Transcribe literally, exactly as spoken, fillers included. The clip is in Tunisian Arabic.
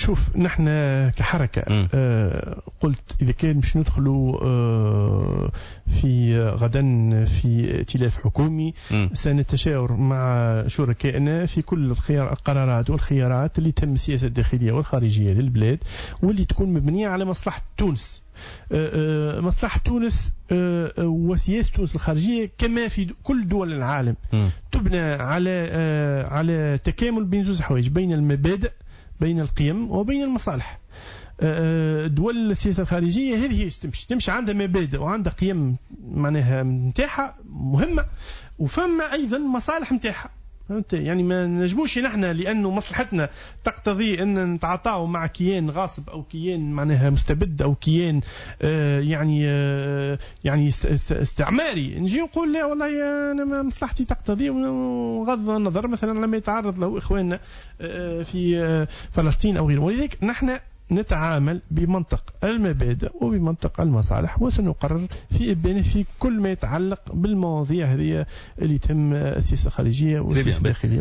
شوف، نحن كحركة آه قلت إذا كان مش ندخلوا آه في غدا في ائتلاف حكومي م. سنتشاور مع شركائنا في كل الخيار القرارات والخيارات اللي تهم السياسة الداخلية والخارجية للبلاد واللي تكون مبنية على مصلحة تونس. آه، آه، مصلحة تونس آه، وسياسة تونس الخارجية كما في كل دول العالم م. تبنى على على تكامل بين زوج حوايج، بين المبادئ، بين القيم وبين المصالح. دول السياسة الخارجية هذه هي تمشي تمشي عندها مبادئ وعندها قيم معناها نتاعها مهمه، وفما ايضا مصالح نتاعها، فهمت؟ يعني ما نجموش نحن لانه مصلحتنا تقتضي ان نتعاطاو مع كيان غاصب او كيان معناها مستبد او كيان آه يعني آه يعني استعماري، نجي نقول لا والله انا مصلحتي تقتضي، وغض النظر مثلا لما يتعرض له اخواننا آه في آه فلسطين او غيره. ولذلك نحن نتعامل بمنطق المبادئ وبمنطق المصالح، وسنقرر في إبانه في كل ما يتعلق بالمواضيع هذه اللي تهم السياسة الخارجية والسياسة الداخلية.